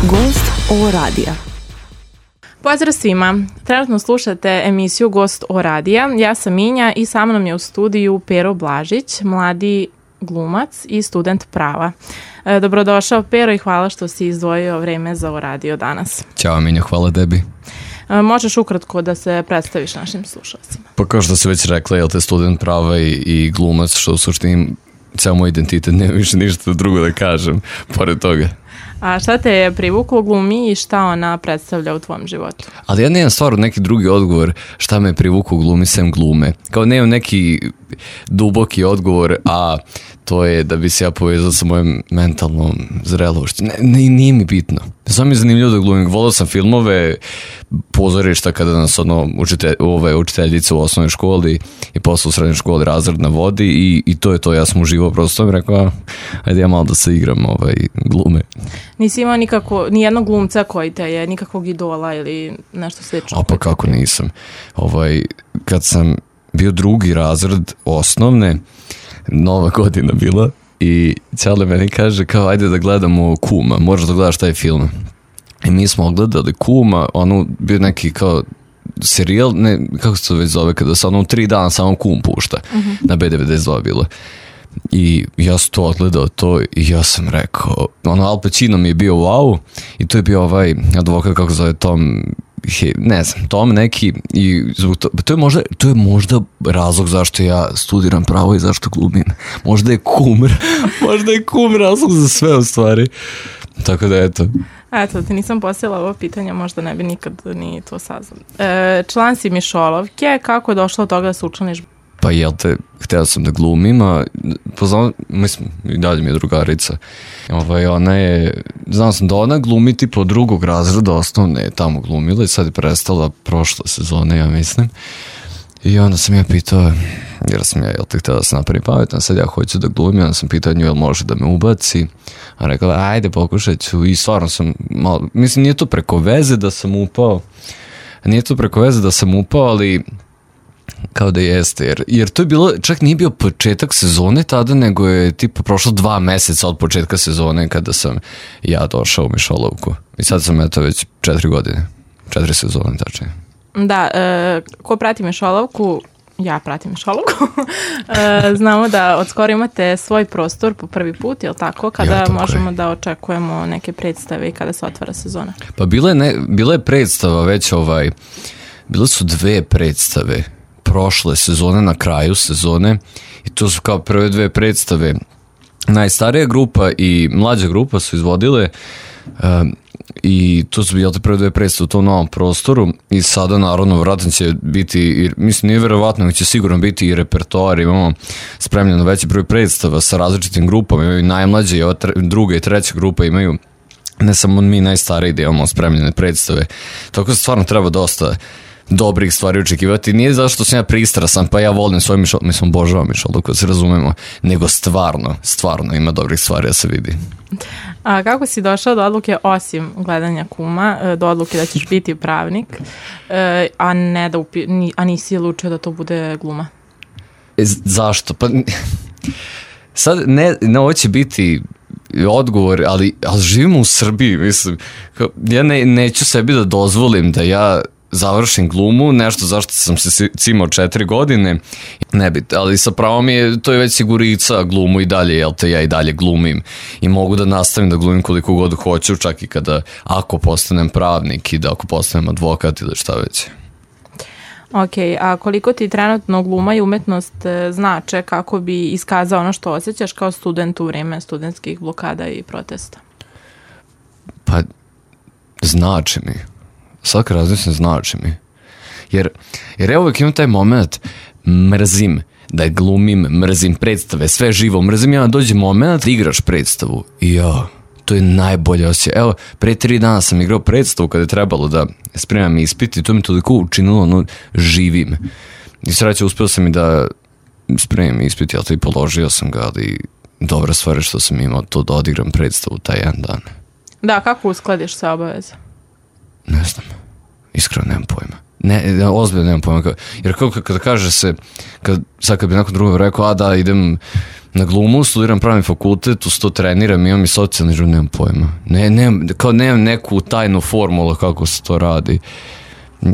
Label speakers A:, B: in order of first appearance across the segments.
A: Gost O radija.
B: Pozdrav svima. Trenutno slušate emisiju Gost O radija. Ja sam Minja i sa mnom je u studiju Pero Blažić, mladi glumac i student prava. Dobrodošao Pero i hvala što si izdvojio vreme za O radio danas.
C: Ćao Minja, hvala tebi.
B: Možeš ukratko da se predstaviš našim slušalcima?
C: Pa kao što si već rekla, jel te student prava i glumac, što u suštini ceo moj identitet, nema više ništa drugo da kažem pored toga.
B: A šta te je privuklo glumi i šta ona predstavlja u tvom životu?
C: Ali ja nemam stvarno neki drugi odgovor šta me privuklo glumi sem glume. Kao nemam neki duboki odgovor, a to je da bi se ja povezao sa mojom mentalnom zrelošću. Nije mi bitno. Samo mi je zanimljivo da glumim. Volao sam filmove, pozorišta kada nas učiteljica u osnovnoj školi i posle u srednjoj školi razred navodi i to je to. Ja sam uživao, prosto sam rekao, ajde ja malo da se igram glume.
B: Nisi imao ni jednog glumca koji te je, nikakvog idola ili nešto slično?
C: A pa kako nisam. Kad sam bio drugi razred osnovne, Nova godina bila i Ćale meni kaže kao ajde da gledamo Kuma, možeš da gledaš taj film. I mi smo ogledali Kuma, ono bio neki kao serijal, ne, kako se to već zove, kada se ono 3 dana samo Kum pušta, na B92 bilo. I ja sam to odgledao to i ja sam rekao, Al Pacino mi je bio wow i to je bio advokat, kako zove, Tom neki i to je možda razlog zašto ja studiram pravo i zašto glumim. Možda je kum razlog za sve u stvari. Tako da eto.
B: Eto, ti nisam postavila ovo pitanje, možda ne bi nikad ni to saznala. Član si Mišolovke, kako je došlo od toga da se učlaniš?
C: Pa jel te, htio sam da glumim, a poznam, mislim, i dalje mi je drugarica. Ona je, znam sam da ona glumi tipa od drugog razreda osnovne je tamo glumila i sad je prestala prošle sezone, ja mislim. I onda sam ja pitao, jer sam ja, jel te, htio da se napravim pametno, sad ja hoću da glumim, onda sam pitao nju, jel može da me ubaci. A rekla, ajde, pokušat ću. I stvarno sam malo, mislim, nije to preko veze da sam upao, ali kao da jeste, jer to je bilo, čak nije bio početak sezone tada, nego je tipa prošlo 2 meseca od početka sezone kada sam ja došao u Mišolovku. I sad sam eto već 4 godine, 4 sezone tačnije.
B: Da, ko prati Mišolovku, ja pratim Mišolovku, znamo da od skoro imate svoj prostor po prvi put, je li tako? Kada možemo da očekujemo neke predstave i kada se otvara sezona?
C: Pa bila je predstava već bile su 2 predstave prošle sezone, na kraju sezone, i to su kao prve 2 predstave. Najstarija grupa i mlađa grupa su izvodile i to su bile prve 2 predstave u tom novom prostoru i sada naravno vratno će biti, mislim nije verovatno, će sigurno biti i repertoar, imamo spremljeno veći broj predstava sa različitim grupama, imaju najmlađe i druga i treća grupa imaju, ne samo mi najstariji da imamo spremljene predstave, tako da stvarno treba dosta dobrih stvari očekivati. Nije zašto sam ja pristrasan, pa ja volim svoj mislim, obožavam Mišolovku, da se razumemo, nego stvarno ima dobrih stvari da se vidi.
B: A kako si došao do odluke, osim gledanja Kuma, do odluke da ćeš biti pravnik, a nisi odlučio da to bude gluma?
C: Zašto? Pa sad, ne ovo će biti odgovor, ali živimo u Srbiji, mislim, ja neću sebi da dozvolim da ja završim glumu, nešto zašto sam se cimao 4 godine, ne bi, ali sa pravom to je već sigurica glumu i dalje, jel te, ja i dalje glumim i mogu da nastavim da glumim koliko god hoću, čak i ako postanem pravnik i da ako postanem advokat ili šta već.
B: Ok, a koliko ti trenutno gluma i umetnost znače kako bi iskazao ono što osjećaš kao student u vreme studentskih blokada i protesta?
C: Pa, znači mi. Svaka različna znači mi. Jer ja uvijek imam taj moment, mrzim da glumim, mrzim predstave, sve živo, mrzim ja dođe moment da igraš predstavu i to je najbolje osjećaj. Evo, pre 3 dana sam igrao predstavu kada je trebalo da spremam ispit i to mi toliko učinilo, živim. I sreće, uspio sam i da spremim ispit, ja to i položio sam ga, ali dobra stvar je što sam imao to da odigram predstavu taj jedan dan.
B: Da, kako uskladiš sve obaveze?
C: Ne znam, iskreno nemam pojma. Ozbiljno nemam pojma. Jer kada kaže se, sad kad bi nakon drugog rekao, da idem na glumu, studiram pravni fakultet, uz to treniram, imam i socijalni život, nemam pojma. Nemam neku tajnu formulu kako se to radi.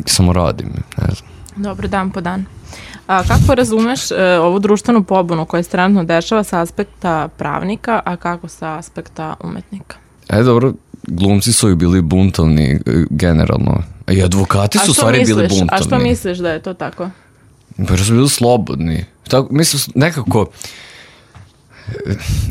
C: Samo radim, ne znam.
B: Dobro, dan po dan. A kako razumeš ovu društvenu pobunu koja se trenutno dešava sa aspekta pravnika, a kako sa aspekta umetnika?
C: Dobro, glumci su i bili buntovni generalno. I advokati su u stvari bili buntovni.
B: A što misliš da je to tako?
C: Pa su bili slobodni. Mislim, nekako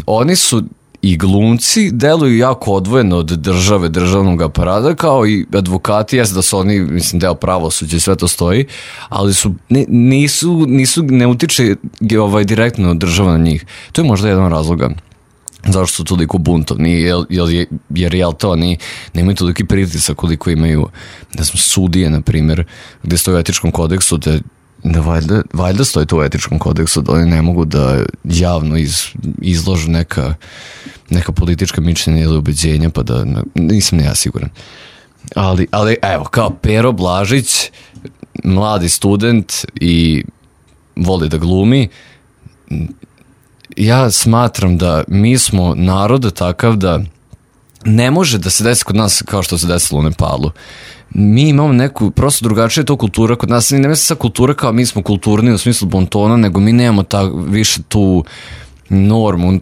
C: oni su i glumci deluju jako odvojeno od države, državnog aparata, kao i advokati, jes da su oni, mislim, deo pravosuđa i sve to stoji, ali ne utiče direktno država na njih. To je možda jedan razloga zašto su toliko buntovni, jer jel to, oni nemaju toliki pritisak koliko imaju, ne znam, sudije, na primjer, gde stoji u etičkom kodeksu, da valjda stoji to u etičkom kodeksu, da oni ne mogu da javno izložu neka politička mišljenja ili ubeđenja, pa da, nisam ne ja siguran. Ali evo, kao Pero Blažić, mladi student i voli da glumi, ja smatram da mi smo narod takav da ne može da se desi kod nas kao što se desilo u Nepalu. Mi imamo neku, prosto drugačija je to kultura kod nas, ne mislim sa kultura kao mi smo kulturni u smislu bontona, nego mi nemamo više tu normu,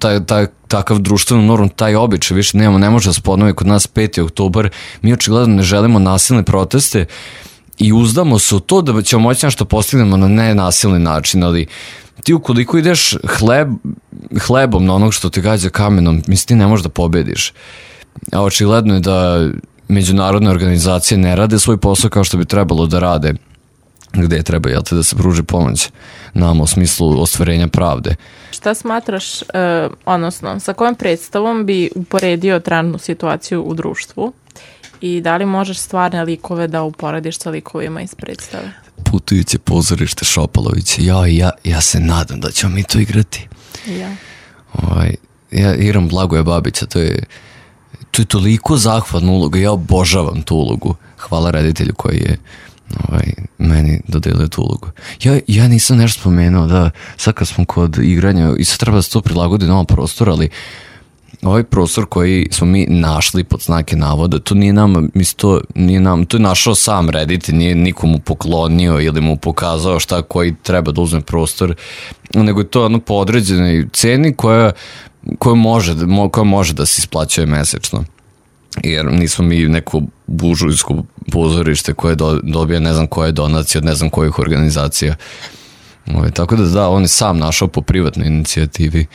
C: takav društvenu normu, taj običaj više nemamo, ne može da se ponovi kod nas 5. oktobar, mi očigledno ne želimo nasilne proteste i uzdamo se u to da ćemo moći nešto postignemo na nenasilni način, ali ti ukoliko ideš hlebom na onog što te gađa kamenom, mislim ti ne možeš da pobediš. A očigledno je da međunarodne organizacije ne rade svoj posao kao što bi trebalo da rade, gde treba da se pruži pomoć nama u smislu ostvarenja pravde.
B: Šta smatraš, odnosno sa kojom predstavom bi uporedio trenutnu situaciju u društvu i da li možeš stvarne likove da uporediš sa likovima iz predstave?
C: Putujuće pozorište Šopalović. Ja se nadam da ćemo mi to igrati. Ja igram Blagoja Babića, to je toliko zahvalna uloga, ja obožavam tu ulogu. Hvala reditelju koji je meni dodelio tu ulogu. Ja nisam nešto spomenuo, da sad kad smo kod igranja i sad treba da se to prilagodi na ovom prostoru, ali ovaj prostor koji smo mi našli pod znake navoda, to nije nam, to je našao sam reditelj, nije nikomu poklonio ili mu pokazao šta koji treba da uzme prostor, nego je to po određenoj ceni koja može da se isplaćuje mesečno. Jer nismo mi neko buržujsko pozorište koje dobija ne znam koje donacije od ne znam kojih organizacija. Tako da, on je sam našao po privatnoj inicijativi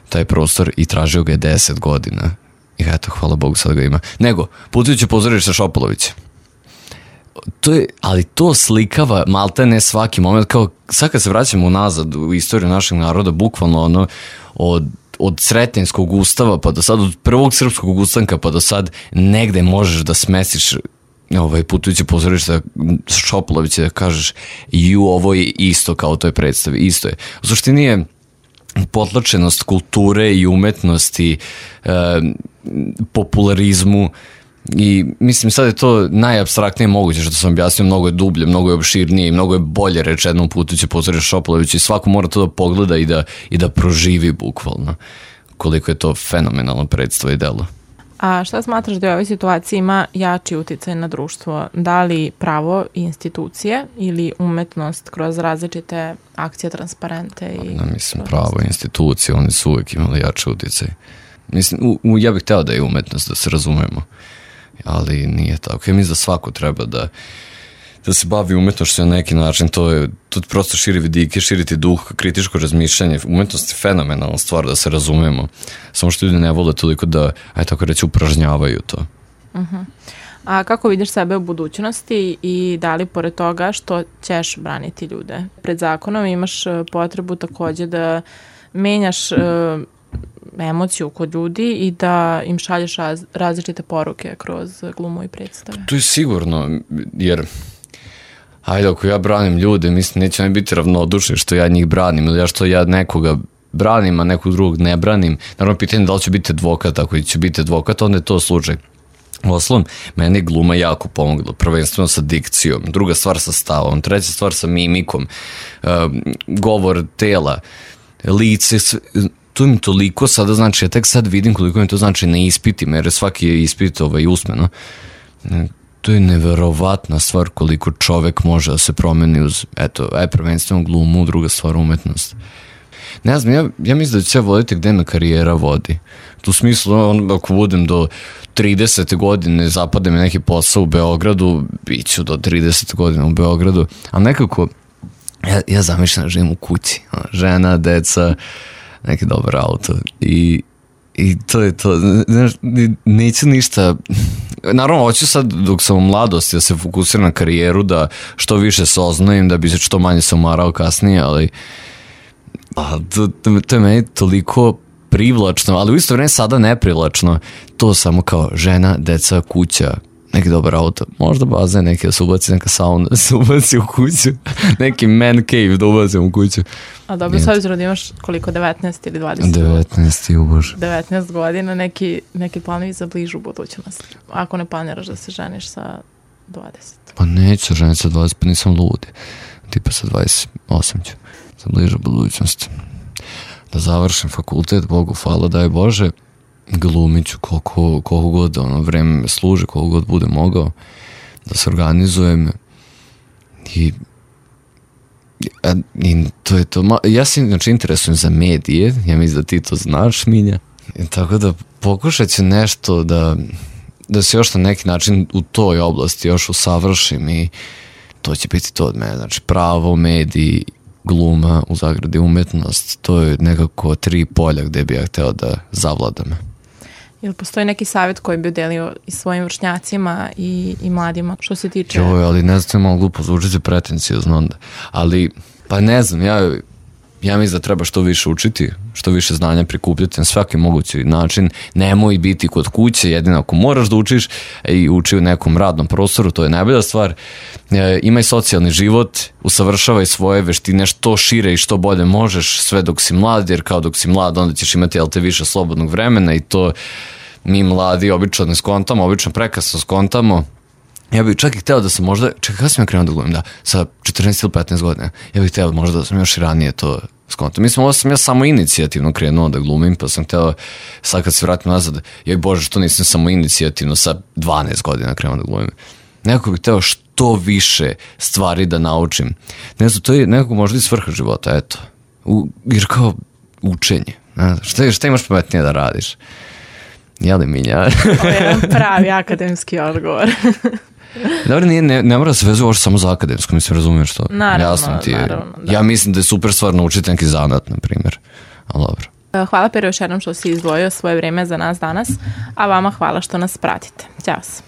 C: taj prostor i tražio ga je 10 godina. I eto, hvala Bogu, sad ga ima. Nego, putujuće pozorište Šopalović. Ali to slikava malte ne svaki moment, kao sad kad se vraćamo unazad u istoriju našeg naroda, bukvalno od Sretenjskog ustava pa do sad, od prvog srpskog ustanka pa do sad, negde možeš da smesiš putujuće pozorište Šopalovića da kažeš ovo je isto kao u toj predstavi, isto je. U suštini je potlačenost kulture i umetnosti, popularizmu i mislim sad je to najapstraktnije moguće što sam objasnio, mnogo je dublje, mnogo je opširnije i mnogo je bolje rečeno putujuće pozorište Šopalovića i svako mora to da pogleda i da proživi bukvalno koliko je to fenomenalno predstava i delo.
B: A šta smatraš da u ovoj situaciji ima jači uticaj na društvo? Da li pravo i institucije ili umetnost kroz različite akcije, transparente?
C: Mislim, pravo i institucije, oni su uvijek imali jači uticaj. Mislim, ja bih hteo da je umetnost, da se razumemo, ali nije tako. Ja mislim da svako treba da se bavi umetnošću na neki način, to prosto širi vidike, širiti duh, kritičko razmišljanje. Umetnost je fenomenalna stvar, da se razumemo. Samo što ljudi ne vole toliko da, tako reći, upražnjavaju to.
B: A kako vidiš sebe u budućnosti i da li pored toga što ćeš braniti ljude pred zakonom imaš potrebu također da menjaš emociju kod ljudi i da im šalješ različite poruke kroz glumu i predstave?
C: To je sigurno, jer ako ja branim ljude, mislim, neće oni biti ravnodušni što ja njih branim ili što ja nekoga branim, a nekog drugog ne branim. Naravno, pitanje je da li će biti advokat, ako će biti advokat, onda je to slučaj. Uostalom, meni je gluma jako pomogla, prvenstveno sa dikcijom, druga stvar sa stavom, treća stvar sa mimikom, govor tela, lice, to mi toliko sada znači, ja tek sad vidim koliko mi to znači na ispitima, jer svaki je ispit usmeno. To je neverovatna stvar koliko čovek može da se promeni uz, eto, prvenstveno glumu, druga stvar umetnost. Ne znam, ja mislim da ću ja voditi gde me karijera vodi. U smislu, ako budem do 30. godine, zapada mi neki posao u Beogradu, bit ću do 30. godina u Beogradu, ali nekako, ja zamišljam da živim u kući, žena, deca, neki dobar auto i to je to, znaš, neću ništa, naravno hoću sad dok sam u mladosti da se fokusiram na karijeru, da što više saznajem, da bi se što manje se umarao kasnije, ali to je meni toliko privlačno, ali u isto vreme sada neprivlačno, to samo kao žena, deca, kuća, neki dobar auto, možda bazen neki da se ubaci, neka sauna da se ubaci u kuću, neki man cave da ubacim u kuću.
B: A dobro, s obzirom da imaš koliko, 19 ili 20?
C: 19, ubož.
B: 19 godina, neki planovi za bližu budućnost. Ako ne planiraš da se ženiš sa 20?
C: Pa neću ženiti sa 20, pa nisam ludi. Tipa sa 28 ću, za bližu budućnost. Da završim fakultet, Bogu hvala, daj Bože, glumit ću koliko god vreme me služi, koliko god bude mogao, da se organizujem i to je to. Ja se znači interesujem za medije, ja mislim da ti to znaš, Minja, i tako da pokušat ću nešto da se još na neki način u toj oblasti još usavršim i to će biti to od mene, znači pravo, mediji, gluma, u zagradi umetnost, to je nekako 3 polja gde bi ja hteo da zavladam.
B: Ili postoji neki savjet koji bi udelio i svojim vršnjacima i mladima što se tiče?
C: Joj, ali ne znam, to je malo glupo, zvuči pretencijozno onda. Ali, pa ne znam, ja mislim da treba što više učiti, što više znanja prikupljati na svaki mogući način. Nemoj biti kod kuće, jedino ako moraš da učiš i uči u nekom radnom prostoru, to je najbolja stvar. Imaj socijalni život, usavršavaj svoje veštine što šire i što bolje možeš, sve dok si mlad, jer kao dok si mlad onda ćeš imati više slobodnog vremena i to mi mladi obično ne skontamo, obično prekasno skontamo. Ja bih čak i hteo da sam možda, čekaj, kada sam ja krenuo da glumim, sa 14 ili 15 godina, ja bih hteo možda da sam još i ranije to skontao. Mislim, ovo sam ja samo inicijativno krenuo da glumim, pa sam hteo, sad kad se vratim nazad, joj Bože, što nisam samo inicijativno sa 12 godina krenuo da glumim. Nekako bih hteo što više stvari da naučim. Ne znam, to je nekako možda i svrha života, eto. Jer kao učenje. Šta imaš pametnije da radiš? Jeli Minja?
B: Ovo je pravi akademski odgovor.
C: Dobro, ne mora da se vezuje ovo samo za akademsko, mislim, razumiješ to?
B: Naravno,
C: da. Ja mislim da je super stvar naučiti neki zanat, na primjer. Ali dobro.
B: Hvala Pero još jednom što si izdvojio svoje vreme za nas danas, a vama hvala što nas pratite. Ćao se.